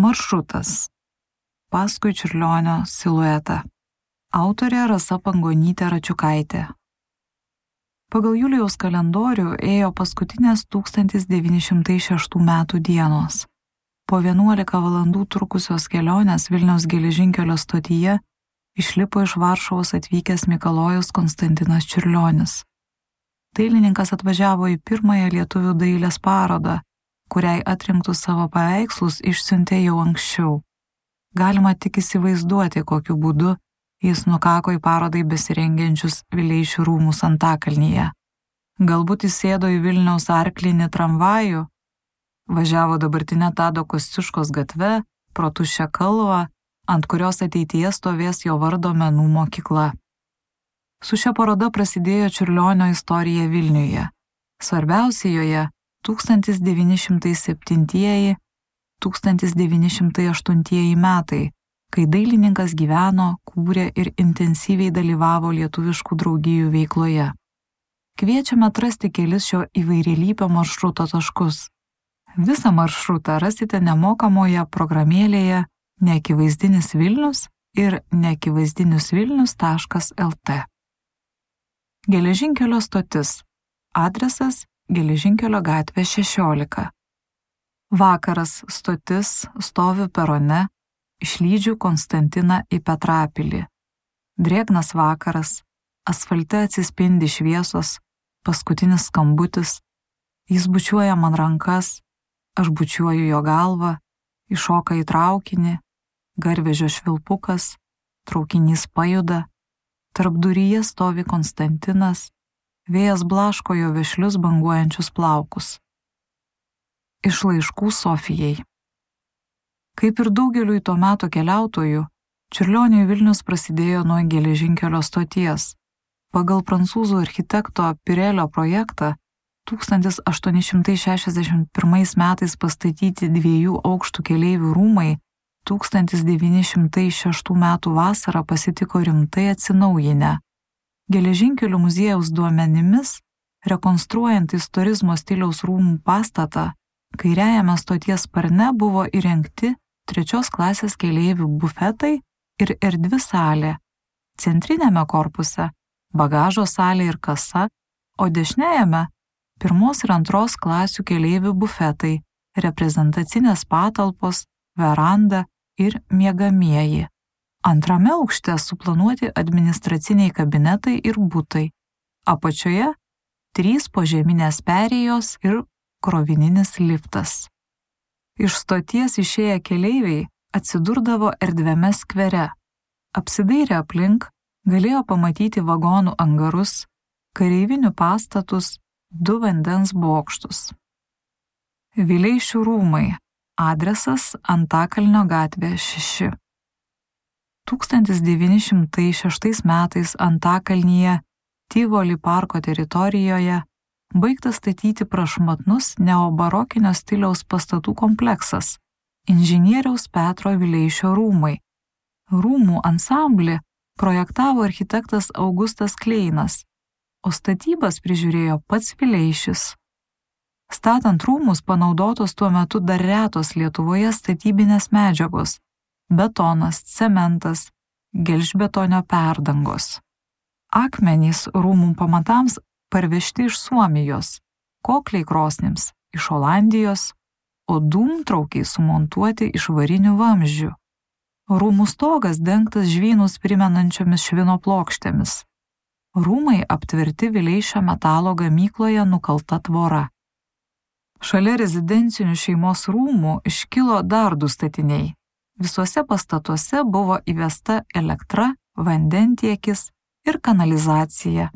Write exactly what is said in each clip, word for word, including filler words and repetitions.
Maršrutas. Paskui Čiurlionio siluetą. Autorė Rasa Pangonytė Račiukaitė. Pagal Julijaus kalendorių ėjo paskutinės tūkstantis devyni šimtai šeštų metų dienos. Po vienuolika valandų trukusios kelionės Vilniaus geležinkelio stotyje išlipo iš Varšuvos atvykęs Mikalojus Konstantinas Čiurlionis. Dailininkas atvažiavo į pirmąją lietuvių dailės parodą, kuriai atrinktus savo paveikslus išsiuntė jau anksčiau. Galima tik įsivaizduoti, kokiu būdu jis nukako į parodai besirengiančius Vileišių rūmus Antakalnyje. Galbūt įsėdo į Vilniaus arklinį tramvajų, važiavo dabartinę Tado Kosciuškos gatve, pro tuščią kalvą, ant kurios ateityje stovės jo vardo menų mokykla. Su šia paroda prasidėjo Čiurlionio istorija Vilniuje. Svarbiausia joje tūkstantis devyni šimtai septintieji - tūkstantis devyni šimtai aštuntieji metai, kai dailininkas gyveno, kūrė ir intensyviai dalyvavo lietuviškų draugijų veikloje. Kviečiame atrasti kelis šio įvairialypio maršruto taškus. Visą maršrutą rasite nemokamoje programėlėje Neakivaizdinis Vilnius ir neakivaizdiniusvilnius taškas lt. Geležinkelio stotis. Adresas Geležinkelio gatvė šešiolika. Vakaras stotis stovi perone, išlydžiu Konstantiną į Petrapilį. Drėgnas vakaras, asfalte atsispindi šviesos, paskutinis skambutis, jis bučiuoja man rankas, aš bučiuoju jo galvą, iššoka į traukinį, garvežio švilpukas, traukinys pajuda, tarpduryje stovi Konstantinas, vėjas blaško jo vešlius banguojančius plaukus. Iš laiškų Sofijai. Kaip ir daugeliui to meto keliautojų, Čiurlioniui Vilnius prasidėjo nuo geležinkelio stoties. Pagal prancūzų architekto Pirelio projektą tūkstantis aštuoni šimtai šešiasdešimt pirmais metais pastatyti dviejų aukštų keleivių rūmai tūkstantis devyni šimtai šeštų metų vasarą pasitiko rimtai atsinaujinę. Geležinkelių muziejaus duomenimis, rekonstruojant istorizmo stiliaus rūmų pastatą, kairiajame stoties sparne buvo įrengti trečios klasės keleivių bufetai ir erdvi salė, centrinėme korpuse bagažo salė ir kasa, o dešiniajame pirmos ir antros klasių keleivių bufetai, reprezentacinės patalpos, veranda ir miegamieji. Antrame aukšte suplanuoti administraciniai kabinetai ir butai. Apačioje trys požeminės perėjos ir krovininis liftas. Iš stoties išėję keleiviai atsidurdavo erdviame skvere. Apsidairę aplink galėjo pamatyti vagonų angarus, kareivinių pastatus, du vandens bokštus. Vileišių rūmai. Adresas Antakalnio gatvė šeši. tūkstantis devyni šimtai šeštais metais Antakalnyje, Tivoli parko teritorijoje, baigtas statyti prašmatnus neobarokinio stiliaus pastatų kompleksas – inžinieriaus Petro Vileišio rūmai. Rūmų ansamblį projektavo architektas Augustas Kleinas, o statybas prižiūrėjo pats Vileišis. Statant rūmus panaudotos tuo metu dar retos Lietuvoje statybinės medžiagos – betonas, cementas, gelžbetonio perdangos. Akmenys rūmų pamatams parvežti iš Suomijos, kokliai krosnims iš Olandijos, o dūmtraukiai sumontuoti iš varinių vamzdžių. Rūmų stogas dengtas žvynus primenančiomis švino plokštėmis. Rūmai aptverti Vileišio metalo gamykloje nukalta tvora. Šalia rezidencinių šeimos rūmų iškilo dar du statiniai. Visuose pastatuose buvo įvesta elektra, vandentiekis ir kanalizacija.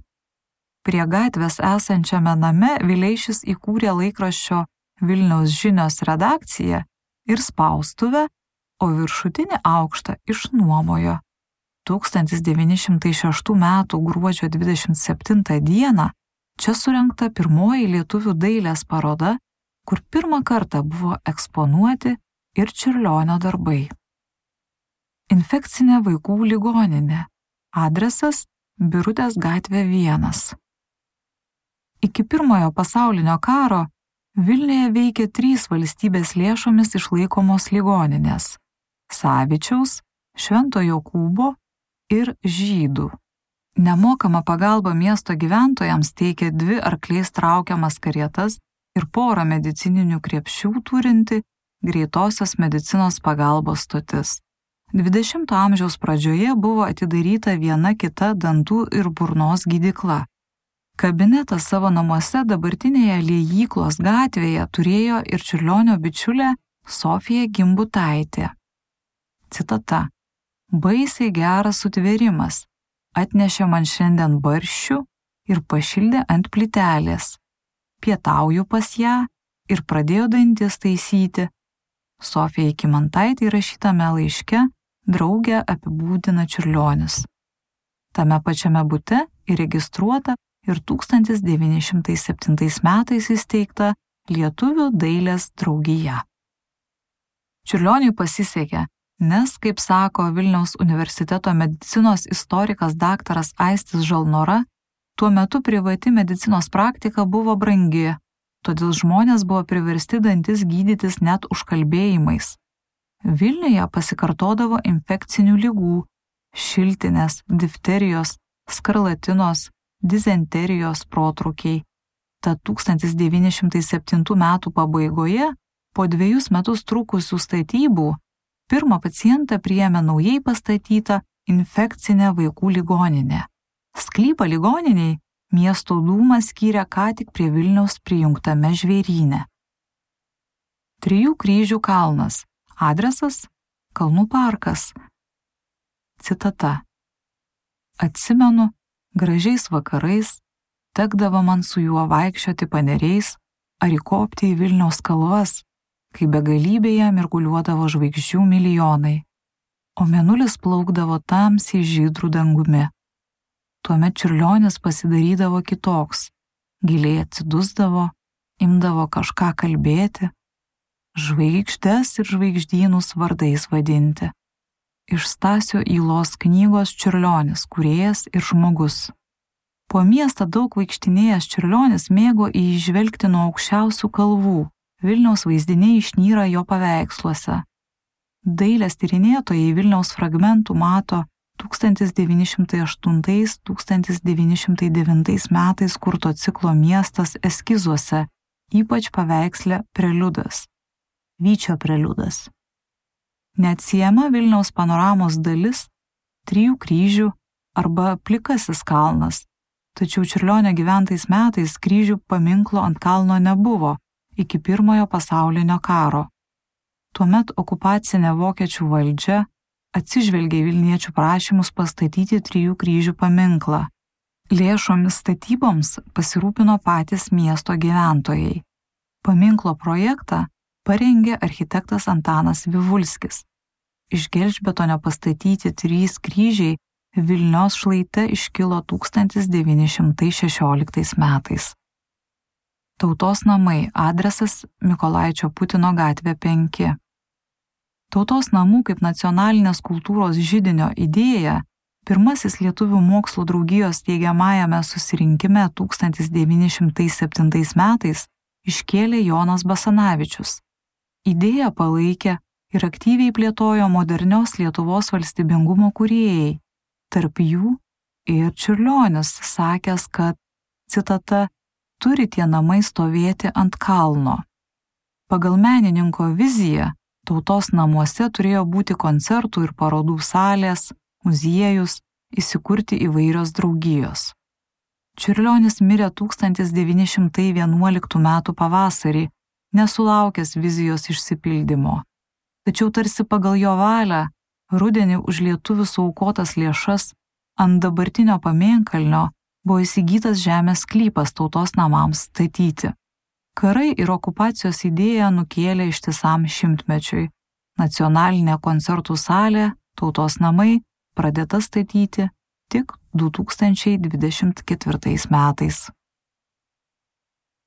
Prie gatvės esančiame name Vileišis įkūrė laikraščio Vilniaus žinios redakciją ir spaustuvę, o viršutinį aukštą išnuomojo. tūkstantis devyni šimtai šeštų metų gruodžio dvidešimt septintą dieną čia surengta pirmoji lietuvių dailės paroda, kur pirmą kartą buvo eksponuoti ir Čiurlionio darbai. Infekcinė vaikų ligoninė. Adresas Birutės gatvė vienas. Iki pirmojo pasaulinio karo Vilniuje veikė trys valstybės lėšomis išlaikomos ligoninės – Savičiaus, Švento Jokūbo ir Žydų. Nemokamą pagalbą miesto gyventojams teikė dvi arkliais traukiamas karietas ir porą medicininių krepšių turinti greitosios medicinos pagalbos stotis. dvidešimto amžiaus pradžioje buvo atidaryta viena kita dantų ir burnos gydykla. Kabinetą savo namuose dabartinėje Liejyklos gatvėje turėjo ir Čiurlionio bičiulė Sofija Gimbutaitė. Citata. Baisiai geras sutvėrimas. Atnešė man šiandien barščių ir pašildė ant plytelės. Pietauju pas ją ir pradėjo dantis taisyti. Sofija Kymantaitė rašytame laiške draugę apibūdina Čiurlionis. Tame pačiame bute įregistruota ir tūkstantis devyni šimtai septintais metais įsteigta Lietuvių dailės draugija. Čiurlioniui pasisekė, nes, kaip sako Vilniaus universiteto medicinos istorikas daktaras Aistis Žalnora, tuo metu privati medicinos praktika buvo brangi, todėl žmonės buvo priversti dantis gydytis net užkalbėjimais. Vilniuje pasikartodavo infekcinių ligų, šiltinės, difterijos, skarlatinos, dizenterijos protrūkiai. Tad tūkstantis devyni šimtai septintų metų pabaigoje, po dviejus metus trukusių statybų, pirmą pacientą priėmė naujai pastatyta infekcinė vaikų ligoninė. Sklypą ligoniniai miesto dūma skyrė ką tik prie Vilniaus prijungtame žvėryne. Trijų kryžių kalnas. Adresas – Kalnų parkas. Citata. Atsimenu, gražiais vakarais tekdavo man su juo vaikščioti paneriais ar įkopti į Vilniaus kalvas, kai begalybėje mirguliuodavo žvaigždžių milijonai, o mėnulis plaukdavo tamsiai žydrų dangumi. Tuomet Čiurlionis pasidarydavo kitoks, giliai atsidusdavo, imdavo kažką kalbėti, žvaigždes ir žvaigždynus vardais vadinti. Iš Stasio Ylos knygos Čiurlionis, kūrėjas ir žmogus. Po miestą daug vaikštinėjęs Čiurlionis mėgo įžvelgti nuo aukščiausių kalvų. Vilniaus vaizdiniai išnyra jo paveiksluose. Dailės tyrinėtojai Vilniaus fragmentų mato tūkstantis devyni šimtai aštuntais - tūkstantis devyni šimtai devintais metais kurto ciklo Miestas eskizuose, ypač paveiksle Preliudas. Vyčio preliudas. Neatsiejama Vilniaus panoramos dalis – Trijų kryžių arba Plikasis kalnas, tačiau Čiurlionio gyventais metais kryžių paminklo ant kalno nebuvo iki pirmojo pasaulinio karo. Tuomet okupacinė vokiečių valdžia atsižvelgė į vilniečių prašymus pastatyti Trijų kryžių paminklą. Lėšomis statyboms pasirūpino patys miesto gyventojai. Paminklo projektą parengė architektas Antanas Vivulskis. Iš gelžbetonio pastatyti trys kryžiai Vilnios šlaite iškilo tūkstantis devyni šimtai šešioliktais metais. Tautos namai, adresas Mykolaičio Putino gatvė penki. Tautos namų kaip nacionalinės kultūros židinio idėja pirmasis Lietuvių mokslo draugijos steigiamajame susirinkime tūkstantis devyni šimtai septintais metais iškėlė Jonas Basanavičius. Idėją palaikė ir aktyviai plėtojo modernios Lietuvos valstybingumo kūrėjai, tarp jų ir Čiurlionis, sakęs, kad, citata, turi tie namai stovėti ant kalno. Pagal menininko viziją, tautos namuose turėjo būti koncertų ir parodų salės, muziejus, įsikurti įvairios draugijos. Čiurlionis mirė tūkstantis devyni šimtai vienuoliktų metų pavasarį, nesulaukęs vizijos išsipildymo. Tačiau tarsi pagal jo valią, rudenį už lietuvių suaukotas lėšas ant dabartinio pamėnkalnio buvo įsigytas žemės sklypas tautos namams statyti. Karai ir okupacijos idėja nukėlė ištisam šimtmečiui. Nacionalinė koncertų salė, tautos namai pradėta statyti tik du tūkstančiai dvidešimt ketvirtais metais.